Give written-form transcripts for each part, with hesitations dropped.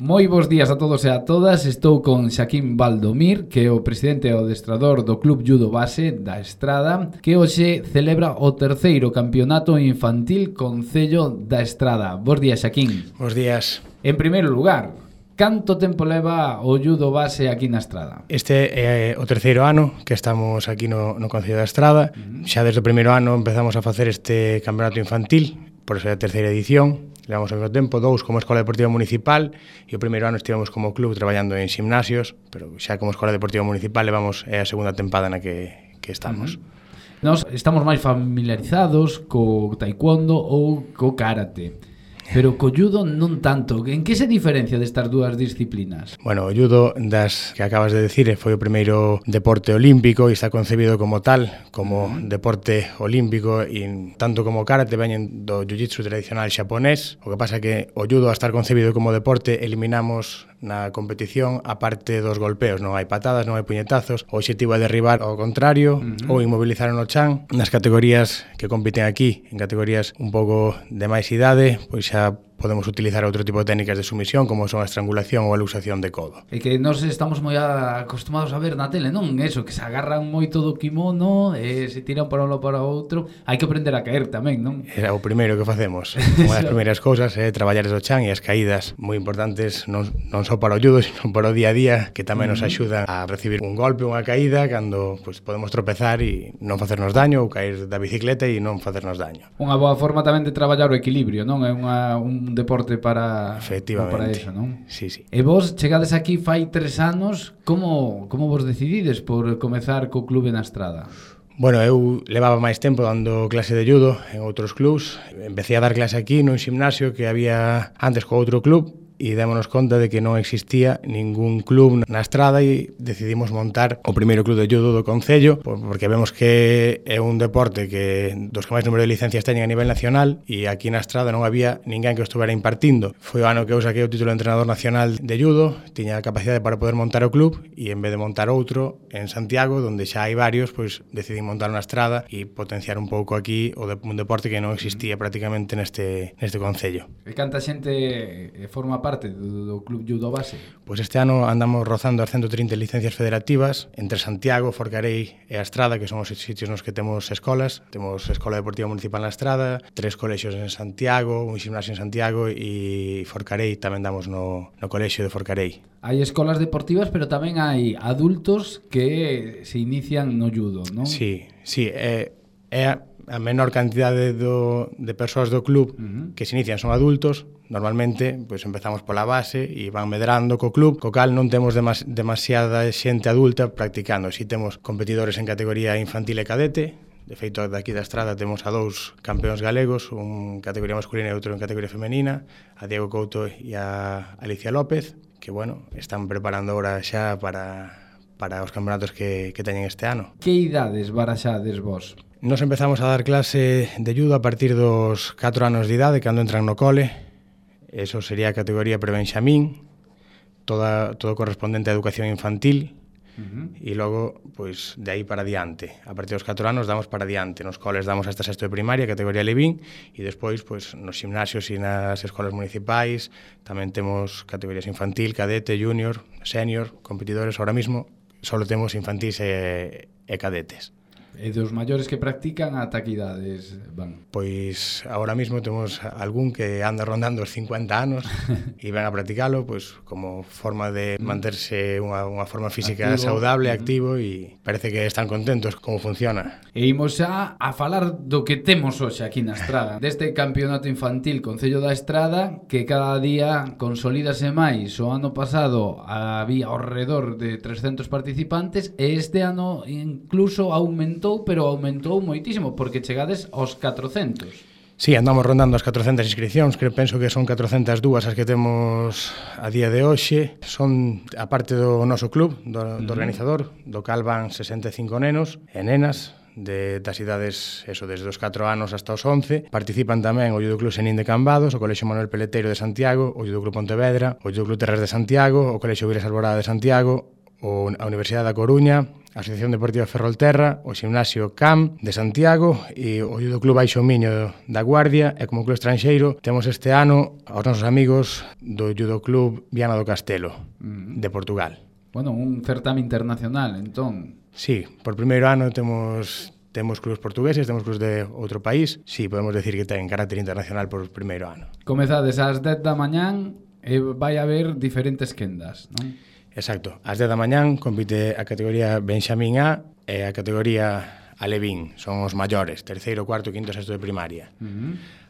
Moi bons días a todos e a todas. Estou con Xaquín Baldomir, que é o presidente e o adestrador do Club Judo Base da Estrada, que hoxe celebra o terceiro campeonato infantil Concello da Estrada. Bos días, Xaquín. Bos días. En primeiro lugar, canto tempo leva o Judo Base aquí na Estrada? Este é o terceiro ano que estamos aquí no Concello da Estrada. Xa desde o primeiro ano empezamos a facer este campeonato infantil, por ser a terceira edición. Levamos ao mesmo tempo 2 como Escola Deportiva Municipal e o primeiro ano estivemos como club traballando en gimnasios, pero xa como Escola Deportiva Municipal levamos a segunda tempada na que estamos. Nós estamos máis familiarizados co taekwondo ou co karate, pero co judo non tanto. En que se diferencia destas dúas disciplinas? Bueno, o judo das que acabas de decir foi o primeiro deporte olímpico e está concebido como tal, como deporte olímpico, e tanto como o karate veñen do jiu-jitsu tradicional xaponés. O que pasa é que o judo, a estar concebido como deporte, eliminamos na competición a parte dos golpeos. Non hai patadas, non hai puñetazos. O obxectivo é derribar ao contrario ou inmobilizar no chan. Nas categorías que compiten aquí, en categorías un pouco de máis idade, pois xa podemos utilizar outro tipo de técnicas de sumisión, como son a estrangulación ou a luxación de codo. É que nós estamos moi acostumados a ver na tele, non? Eso, que se agarran moito do kimono e se tiran para un lado para o outro. Hai que aprender a caer tamén, non? Era o primeiro que facemos. Unha das primeiras cousas é traballar o chan e as caídas moi importantes, non só para o judo, sino para o día a día, que tamén nos axudan a recibir un golpe, unha caída, cando pues, podemos tropezar e non facernos daño, ou caer da bicicleta e non facernos daño. Unha boa forma tamén de traballar o equilibrio, non? É un deporte para eso, non? Sí, sí. E vos chegades aquí fai 3 anos, como vos decidides por comezar co clube na Estrada? Bueno, eu levaba máis tempo dando clase de judo en outros clubs. Empecé a dar clase aquí nun gimnasio que había antes co outro club, e démonos conta de que non existía ningún club na Estrada e decidimos montar o primeiro club de judo do Concello, porque vemos que é un deporte que dos que máis número de licencias teñen a nivel nacional, e aquí na Estrada non había ninguén que o estuvera impartindo. Foi o ano que eu saquei o título de entrenador nacional de judo, tiña a capacidade para poder montar o club, e en vez de montar outro en Santiago, onde xa hai varios, pois decidí montar na Estrada e potenciar un pouco aquí un deporte que non existía prácticamente neste Concello. E canta xente forma parte do Club Judo Base? Pois este ano andamos rozando as 130 licencias federativas entre Santiago, Forcarei e a Estrada, que son os sitios nos que temos escolas. Temos Escola Deportiva Municipal na Estrada, 3 colexios en Santiago, un gimnasio en Santiago, e Forcarei tamén damos no colexio de Forcarei. Hai escolas deportivas, pero tamén hai adultos que se inician no judo, non? Sí, é a menor cantidade de persoas do club que se inician son adultos. Normalmente, pois empezamos pola base e van medrando co club, co cal non temos demasiada xente adulta practicando. Si temos competidores en categoría infantil e cadete. De feito, daqui da Estrada temos a 2 campeóns galegos, un en categoría masculina e outro en categoría femenina, a Diego Couto e a Alicia López, que, bueno, están preparando ahora xa para os campeonatos que teñen este ano. Que idades baraxades vos? Nos empezamos a dar clase de judo a partir dos 4 anos de idade, cando entran no cole. Eso sería a categoría prebenxamín, todo correspondente a educación infantil, e logo, pois, de aí para diante. A partir dos 4 anos damos para diante. Nos coles damos hasta sexto de primaria, categoría levín, e despois, pois, nos gimnasios e nas escolas municipais tamén temos categorías infantil, cadete, junior, senior, competidores. Ahora mismo só temos infantis e cadetes. E dos maiores que practican ata que idades van? Pois agora mesmo temos algún que anda rondando os 50 anos e ven a practicalo, pois como forma de manterse unha forma física activo, saudable, activo, e parece que están contentos como funciona. E imos xa a falar do que temos hoxe aquí na Estrada, deste campeonato infantil Concello da Estrada, que cada día consolídase máis. O ano pasado había ao redor de 300 participantes e este ano incluso aumentou, pero aumentou moitísimo, porque chegades aos 400. Sí, andamos rondando as 400 inscripcións, que penso que son 402 as que temos a día de hoxe. Son a parte do noso club, do organizador, do cal van 65 nenos e nenas, das idades, eso, desde os 4 anos hasta os 11. Participan tamén o Judo Club Senín de Cambados, o Colexio Manuel Peleteiro de Santiago, o Judo Club Pontevedra, o Judo Club Terres de Santiago, o Colexio Vilas Alborada de Santiago, a Universidade da Coruña, a Asociación Deportiva Ferrolterra, o Ximnasio CAM de Santiago e o Judo Club Baixo Miño da Guardia, e como club estranxeiro temos este ano aos nosos amigos do Judo Club Viana do Castelo de Portugal. Bueno, un certame internacional, entón. Sí, por primeiro ano temos clubes portugueses, temos clubes de outro país. Sí, podemos decir que ten carácter internacional por primeiro ano. Comezades ás 10 da mañán e vai haber diferentes quendas, non? Exacto. Ás 10 da mañán compite a categoría Benxamín A e a categoría Alevín. Son os maiores, terceiro, cuarto, quinto, sexto de primaria.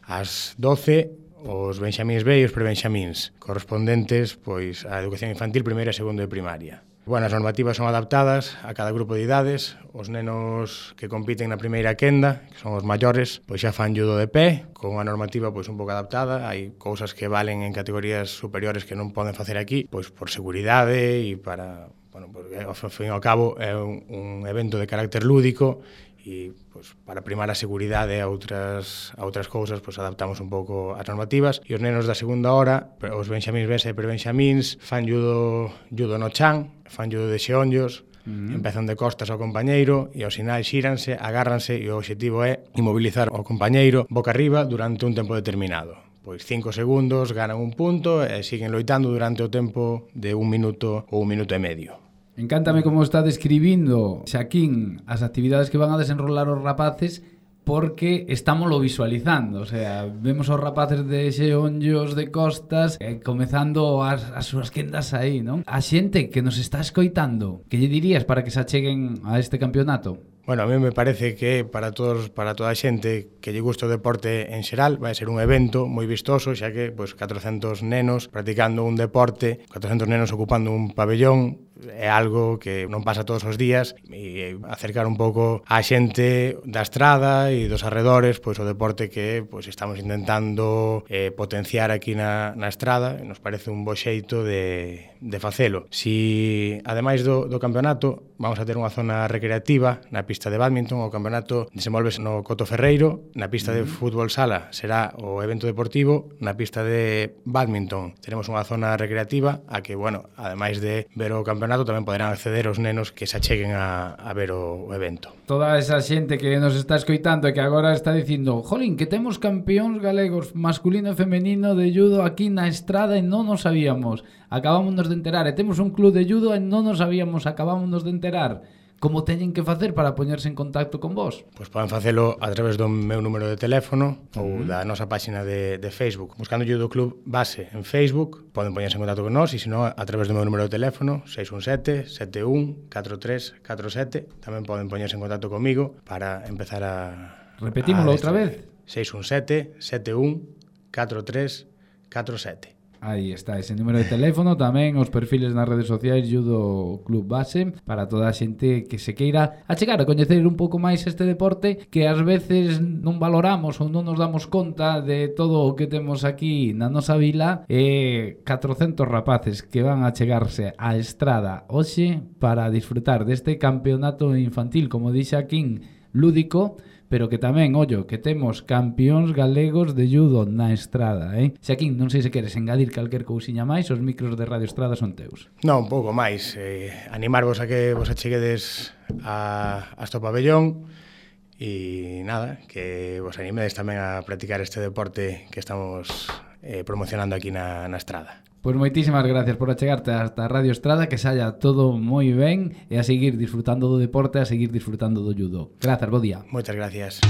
Ás 12, os Benxamíns B e os prebenxamíns, correspondentes pois á educación infantil, primeiro e segundo de primaria. Bueno, as normativas son adaptadas a cada grupo de idades. Os nenos que compiten na primeira quenda, que son os maiores, pois xa fan judo de pé, con unha normativa pois un pouco adaptada. Hai cousas que valen en categorías superiores que non poden facer aquí, pois por seguridade e para, bueno, porque ao fin e ao cabo é un evento de carácter lúdico e pois, para primar a seguridade a outras cousas, pois adaptamos un pouco as normativas. E os nenos da segunda hora, os benxamíns B e prebenxamíns, fan judo no chan, fan judo de xeonllos, empezan de costas ao compañeiro e ao sinal xíranse, agárranse e o obxectivo é inmobilizar ao compañeiro boca arriba durante un tempo determinado. Pois 5 segundos, ganan un punto e siguen loitando durante o tempo de 1 minuto ou 1 minuto e medio. Encántame como está describindo Xaquín as actividades que van a desenrolar os rapaces, porque estámoslo visualizando, o sea, vemos os rapaces de xeonllos de costas comezando as súas quendas aí, non? A xente que nos está escoitando, que lle dirías para que se acheguen a este campeonato? Bueno, a mí me parece que para toda a xente que lle gusta o deporte en xeral vai ser un evento moi vistoso, xa que pois 400 nenos practicando un deporte, 400 nenos ocupando un pabellón, é algo que non pasa todos os días, e acercar un pouco á xente da estrada e dos arredores pois o deporte que pois estamos intentando potenciar aquí na estrada. Nos parece un bo xeito de facelo. Si ademais do campeonato vamos a ter unha zona recreativa na pista de bádminton, o campeonato desenvolves no Coto Ferreiro, na pista de fútbol sala será o evento deportivo, na pista de bádminton teremos unha zona recreativa a que, bueno, ademais de ver o campeonato tamén poderán acceder os nenos que se acheguen a ver o evento. Toda esa xente que nos está escoitando e que agora está dicindo, jolín, que temos campeóns galegos masculino e femenino de judo aquí na estrada e non nos sabíamos. Acabámonos de enterar, e temos un club de judo e non nos sabíamos, acabámonos de enterar. Como teñen que facer para poñerse en contacto con vos? Pois poden facelo a través do meu número de teléfono ou da nosa páxina de Facebook. Buscando Judo Club Base en Facebook, poden poñerse en contacto con nós, e senón a través do meu número de teléfono 617-71-4347. Tamén poden poñerse en contacto comigo para empezar a... Repetímolo outra vez. 617-71-4347. Aí está ese número de teléfono, tamén os perfiles nas redes sociais Judo Club Base, para toda a xente que se queira achegar a coñecer un pouco máis este deporte que ás veces non valoramos ou non nos damos conta de todo o que temos aquí na nosa vila. 400 rapaces que van a chegarse á estrada hoxe para disfrutar deste campeonato infantil, como dixe aquí, lúdico, pero que tamén, ollo, que temos campións galegos de judo na estrada, Xaquín, non sei se queres engadir calquer cousiña máis, os micros de Radio Estrada son teus. Non, un pouco máis, animarvos a que vos acheguedes hasta o pabellón e nada, que vos animedes tamén a practicar este deporte que estamos promocionando aquí na estrada. Pois moitísimas gracias por achegarte hasta Radio Estrada, que saia todo moi ben e a seguir disfrutando do deporte, a seguir disfrutando do judo. Grazas, bo día. Moitas gracias.